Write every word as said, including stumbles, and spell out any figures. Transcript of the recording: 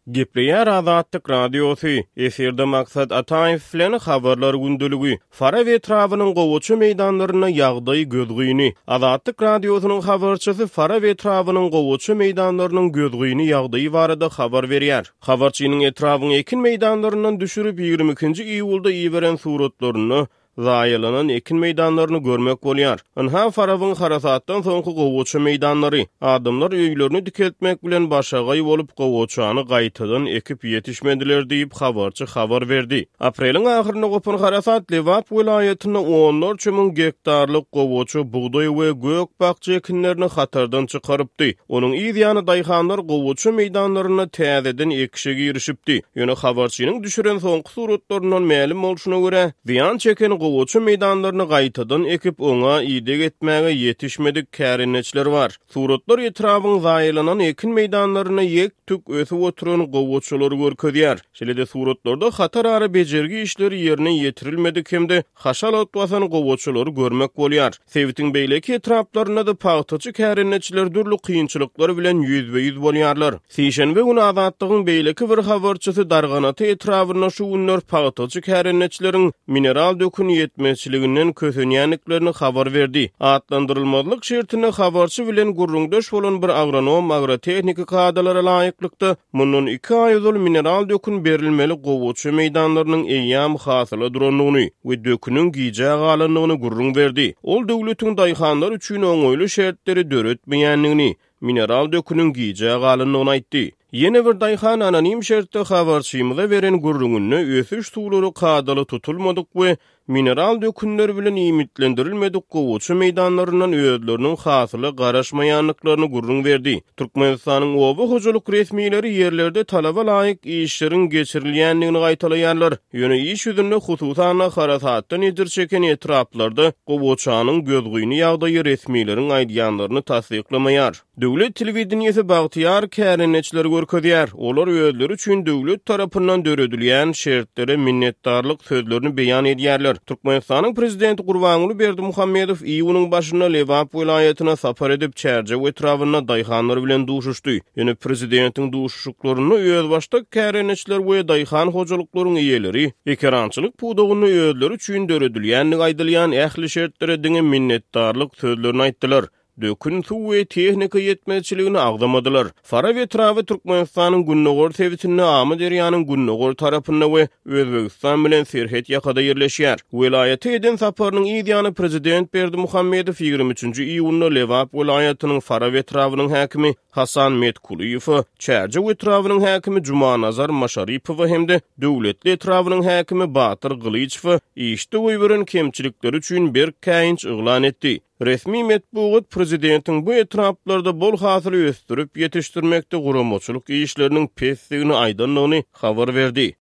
Gepleýär Azatlyk Radiosy, efirde Maksat Ataýew bilen Habarlar gündeligi. Farap etrabynyň gowaça meýdanlarynda ýagdaý gözgyny. Azatlyk Radiosynyň habarçysy Farap etrabynyň gowaça meýdanlarynyň gözgyny ýagdaýy barada habar berýär. Habarçynyň etrabyň ekin meýdanlaryndan düşürip ýigrimi ikinji iýulda iberen suratlarynda zaýalanan ekin meýdanlaryny görmek bolýar. Ynha Farabyň harasatdan soňky gowaça meýdanlary. Adamlar öýlerini dikeltmek bilen başagaý bolup gowaçany gaýtadan ekip ýetişmediler diýip habarçy habar berdi. Apreliň ahyrynda gopan harasat Lebap welaýatynda onlarça müň gektarlyk gowaça, bugdaý we gök bakja ekinlerini hatardan çykarypdy. Onuň yz ýany daýhanlar gowaça meýdanlarynda täzeden ekişe girişipdi. Ýöne habarçynyň düşüren soňky suratlaryndan mälim bolşuna görä, zyýan çeken gowaça meýdanlaryny gaýtadan ekip oňa ideg etmäge ýetişmedik kärendeçiler bar. Suratlar etrabyň zaýalanan ekin meýdanlaryna ýek-tük ösüp oturan gowaçalary görkezýär. Şeýle-de suratlarda hatar ara bejergi işleri ýerine ýetirilmedik hem-de haşal ot basan gowaçalary görmek bolýar. Sebitiň beýleki etraplarynda da pagtaçy kärendeçiler dürli kynçylyklar bilen ýüzbe-ýüz bolýarlar. Sişenbe güni Azatlygyň beýleki bir habarçysy Darganata etrabynda şu günler pagtaçy kärendeçileriň mineral dökün ýetmezçiliginden kösenýändiklerini habar berdi. Atlandyrylmazlyk şertinde habarçy bilen gürrüňdeş bolan bir agronom agrotehniki kadalara laýyklykda mundan iki aý ozal mineral dökün berilmeli gowaça meýdanlarynyň eýýäm hasyla durandygyny we döküniň gijä galandygyny gürrüň berdi. Ol döwletiň daýhanlar üçin oňaýly şertleri döretmeýändigini, mineral döküniň gijä galandygyny aýtdy. Ýene bir daýhan anonim şertde habarçymyza beren gürrüňinde ösüş suwlary kadaly tutulmadyk we mineral dökünler bilen iýmitlendirilmedik gowaça meýdanlaryndan özleriniň hasyla garaşmaýandyklaryny gürrüň berdi. Türkmenistanyň oba hojalyk resmileri ýerlerde talaba laýyk işleriň geçirilýändigini gaýtalaýarlar. Ýöne iş ýüzünde hususan harasatdan ejir çeken etraplarda gowaçanyň gözgyny ýagdaýy resmileriň aýdýanlaryny tassyklamaýar. Döwlet telewideniýesi bagtyýar kärendeçileri görkezýär. Olar özleri üçin döwlet tarapyndan döredilýän şertlere minnetdarlyk sözlerini beýan edýärler. Türkmenistanyň prezidenti Gurbanguly Berdimuhamedow iýunyň başynda Lebap welaýatyna sapar edip Çärjew etrabynda daýhanlar bilen duşuşdy. Ýöne prezidentiň duşuşyklarynda özbaşdak kärendeçiler we daýhan hojalyklaryň eýeleri ekerançylyk pudagynda özleri üçin döredilýändigi aýdylýan ähli şertlere diňe minnetdarlyk sözlerini aýtdylar. Dökün suw we tehnika ýetmezçiligini agzamadylar. Farap etraby Türkmenistanyň gündogar sebitinde Amyderýanyň gündogar tarapynda we Özbegistan bilen serhet ýakada ýerleşýär. Welaýata eden saparynyň yz ýany prezident Berdimuhamedow ýigrimi üçünji iýunda Lebap welaýatynyň Farap etrabynyň häkimi Hasan Metkulyýewe, Çärjew etrabynyň häkimi Jumanazar Maşaripowa hem-de Döwletli etrabynyň häkimi Batyr Gylyçowa işde goýberen kemçilikleri üçin berk käýinç yglan etdi. Resmi metbugat prezidentiň bu etraplarda bol hasyly ösdürip ýetişdirmekde guramaçylyk işleriniň pesdigini aýdandygyny habar berdi.